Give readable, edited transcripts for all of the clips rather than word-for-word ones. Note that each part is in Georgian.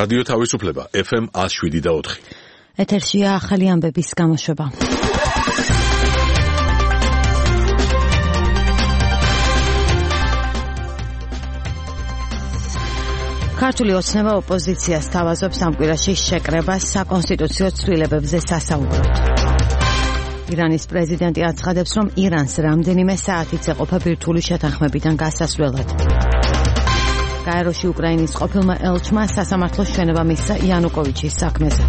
რადიო თავისუფლება FM 107.4. ეთერშია ახალი ამბების გამოშვება. ქართული ოცნება ოპოზიციას თავაზობს ამ კვირაში შეკრებას საკონსტიტუციო ცვლილებებზე სასაუბროდ. ირანის პრეზიდენტი აცხადებს, რომ ირანს რამდენიმე საათით ეყოფა ბირთვული შეთანხმებიდან გასასვლელად. გაეროში უკრაინის ყოფილმა ელჩმა სასამართლოს ჩვენება მისცა იანუკოვიჩის საქმეზე.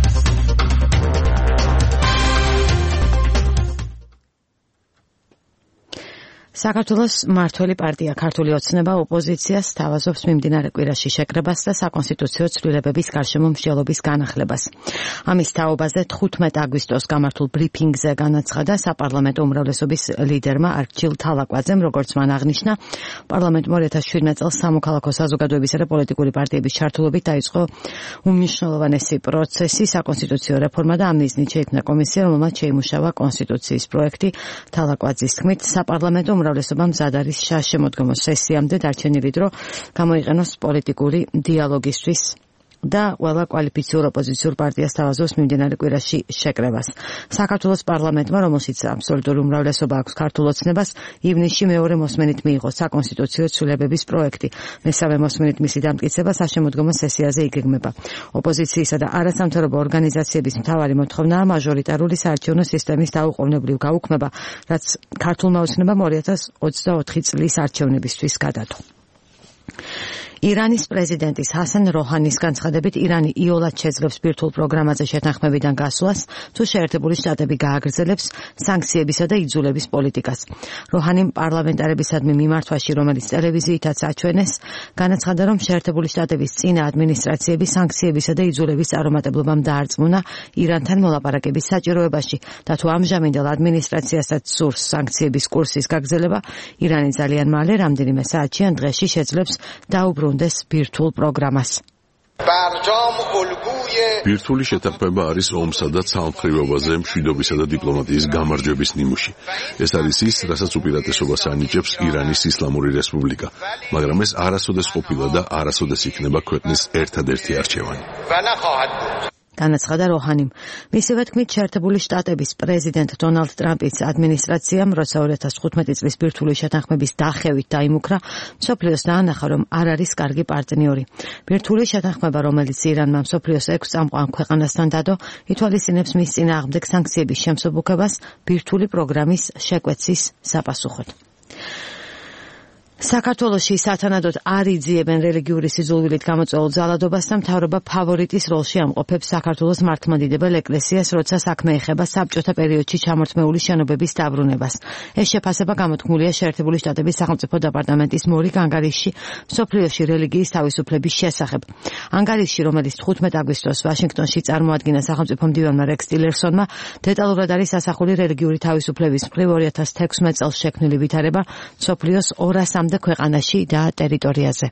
საქართველოს მმართველი პარტია ქართული ოცნება ოპოზიციას თავაზობს მიმდინარე კვირაში შეკრებას და საკონსტიტუციო ცვლილებების გარშემო მსჯელობის განახლებას. ამის თაობაზე 15 აგვისტოს გამართულ ბრიფინგზე განაცხადა საპარლამენტო უმრავლესობის ლიდერმა არჩილ თალაკვაძემ, როგორც მან აღნიშნა, პარლამენტმა 2017 წელს სამოქალაქო საზოგადოებისა და პოლიტიკური პარტიების ჩართულობით დაიწყო უმნიშვნელოვანესი პროცესი, საკონსტიტუციო რეფორმა და ამ მიზნით შეიქმნა კომისია, რომელმაც შეიმუშავა კონსტიტუციის პროექტი. თალაკვაძის თქმით, საპარლამენტო უმრავლესობა მზად არის შემოდგომო სესიამდე დარჩენილი დრო გამოიყენოს პოლიტიკური დიალოგისთვის და ყველა კვალიფიციურ ოპოზიციურ პარტიას თავაზობს მიმდინარე კვირაში შეკრებას. საქართველოს პარლამენტმა, რომელშიც აბსოლუტური უმრავლესობა აქვს ქართულ ოცნებას, ივნისში მეორე მოსმენით მიიღო საკონსტიტუციო ცვლილებების პროექტი. მესამე მოსმენით მისი დამტკიცება საშემოდგომო სესიაზე იგეგმება. ოპოზიციისა და არასამთავრობო ორგანიზაციების მთავარი მოთხოვნაა მაჟორიტარული საარჩევნო სისტემის დაუყოვნებლივ გაუქმება, რაც ქართულმა ოცნებამ 2024 წლის არჩევნებისთვის გადადო. ირანის პრეზიდენტის ჰასან როჰანის განცხადებით, ირანი იოლად შეძლებს ბირთვულ პროგრამაზე შეთანხმებიდან გასვლას, თუ შეერთებული შტატები გააგრძელებს სანქციებისა და იძულების პოლიტიკას. როჰანიმ პარლამენტარებისადმი მიმართვაში, რომელიც ტელევიზიითაც აჩვენეს, განაცხადა, რომ შეერთებული შტატების წინა ადმინისტრაციები სანქციებისა და იძულების წარუმატებლობამ დაარწმუნა ირანთან მოლაპარაკების საჭიროებაში და თუ ამჟამინდელ ადმინისტრაციასაც სურს სანქციების კურსის გაგრძელება, ირანი ძალიან მალე რამდენიმე საათში ან დღეში შეძლებს დაუბრუნდეს ბირთვულ პროგრამას. ბირთვული შეთანხმება არის ომსა და ცალმხრივობაზე მშვიდობისა და დიპლომატიის გამარჯვების ნიმუში. ეს არის ის, რასაც უპირატესობას ანიჭებს ირანის ისლამური რესპუბლიკა, მაგრამ ეს არასოდეს ყოფილა და არასოდეს იქნება ქვეყნის ერთადერთი არჩევანი. განაცხადა როჰანიმ. მისივე თქმით, შეერთებული შტატების პრეზიდენტ დონალდ ტრამპის ადმინისტრაციამ, როცა 2015 წლის ბირთვული შეთანხმების დახევით დაიმუქრა, მსოფლიოს დაანახა, რომ არ არის კარგი პარტნიორი. ბირთვული შეთანხმება, რომელიც ირანმა მსოფლიოს 6 წამყვან ქვეყანასთან დადო, ითვალისწინებს მის წინააღმდეგ სანქციების შემსუბუქებას ბირთვული პროგრამის შეკვეცის საპასუხოდ. საქართველოში სათანადოდ არ იძიებენ რელიგიური სიძულვილით გამოწვეულ ძალადობას და მთავრობა ფავორიტის როლში ამყოფებს საქართველოს მართლმადიდებელ ეკლესიას, როცა საქმე ეხება საბჭოთა პერიოდში ჩამორთმეული შენობების დაბრუნებას. ეს შეფასება გამოთქმულია შეერთებული შტატების სახელმწიფო დეპარტამენტის მორიგ ანგარიშში მსოფლიოში რელიგიის თავისუფლების შესახებ. ანგარიშში, რომელიც 15 აგვისტოს ვაშინგტონში წარმოადგინა სახელმწიფო მდივანმა რექს ტილერსონმა, დეტალურად არის ასახული რელიგიური თავისუფლების მხრივ 2016 წელს შექმნილი ვითარება მსოფლიოს 200 ქვეყანაში და ტერიტორიაზე.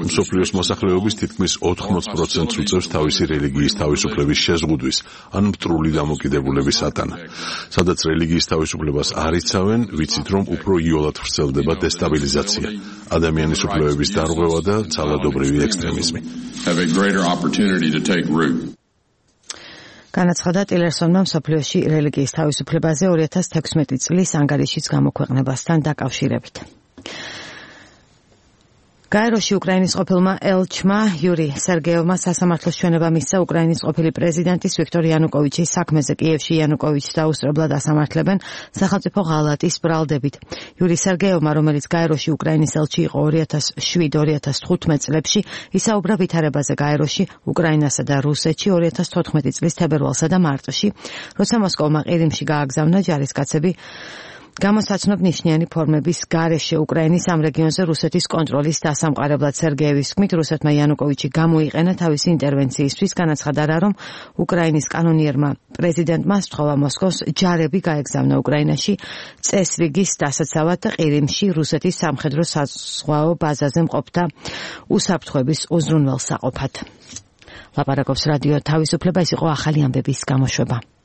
მსოფლიოს მოსახლეობის თითქმის 80%-ს უწევს თავისი რელიგიის თავისუფლების შეზღუდვის, ან მტრული დამოკიდებულების ატანა. სადაც რელიგიის თავისუფლებას არ იცავენ, ვიცით, რომ უფრო იოლად ვრცელდება დესტაბილიზაცია, ადამიანის უფლებების დარღვევა და ძალადობრივი ექსტრემიზმი. განაცხადა ტილერსონმა მსოფლიოში რელიგიის თავისუფლებაზე 2016 წლის ანგარიშის გამოქვეყნებასთან დაკავშირებით. გაეროში უკრაინის ყოფილმა ელჩმა იური სერგეევმა სასამართლოს ჩვენება მისცა უკრაინის ყოფილი პრეზიდენტის ვიქტორ იანუკოვიჩის საქმეზე. კიევში იანუკოვიჩს დაუსწრებლად ასამართლებენ სახელმწიფო ღალატის ბრალდებით. იური სერგეევმა, რომელიც გაეროში უკრაინის ელჩი იყო 2007-2015 წლებში, ისაუბრა ვითარებაზე გაეროში, უკრაინასა და რუსეთში 2014 წლის თებერვალსა და მარტში, როცა მოსკოვმა ყირიმში გააგზავნა ჯარისკაცები გამოსაცნობ ნიშნიანი ფორმების გარეშე უკრაინის ამ რეგიონზე რუსეთის კონტროლის დასამყარებლად. სერგეევის თქმით, რუსეთმა იანუკოვიჩი გამოიყენა თავისი ინტერვენციისთვის. განაცხადა, რომ უკრაინის კანონიერმა პრეზიდენტმა სთხოვა მოსკოვს ჯარები გაეგზავნა უკრაინაში წესრიგის დასაცავად და ყირიმში რუსეთის სამხედრო საზღვაო ბაზაზე მყოფთა უსაფრთხოების უზრუნველსაყოფად. ლაპარაკობს რადიო თავისუფლება, ეს იყო ახალი ამბების გამოშვება.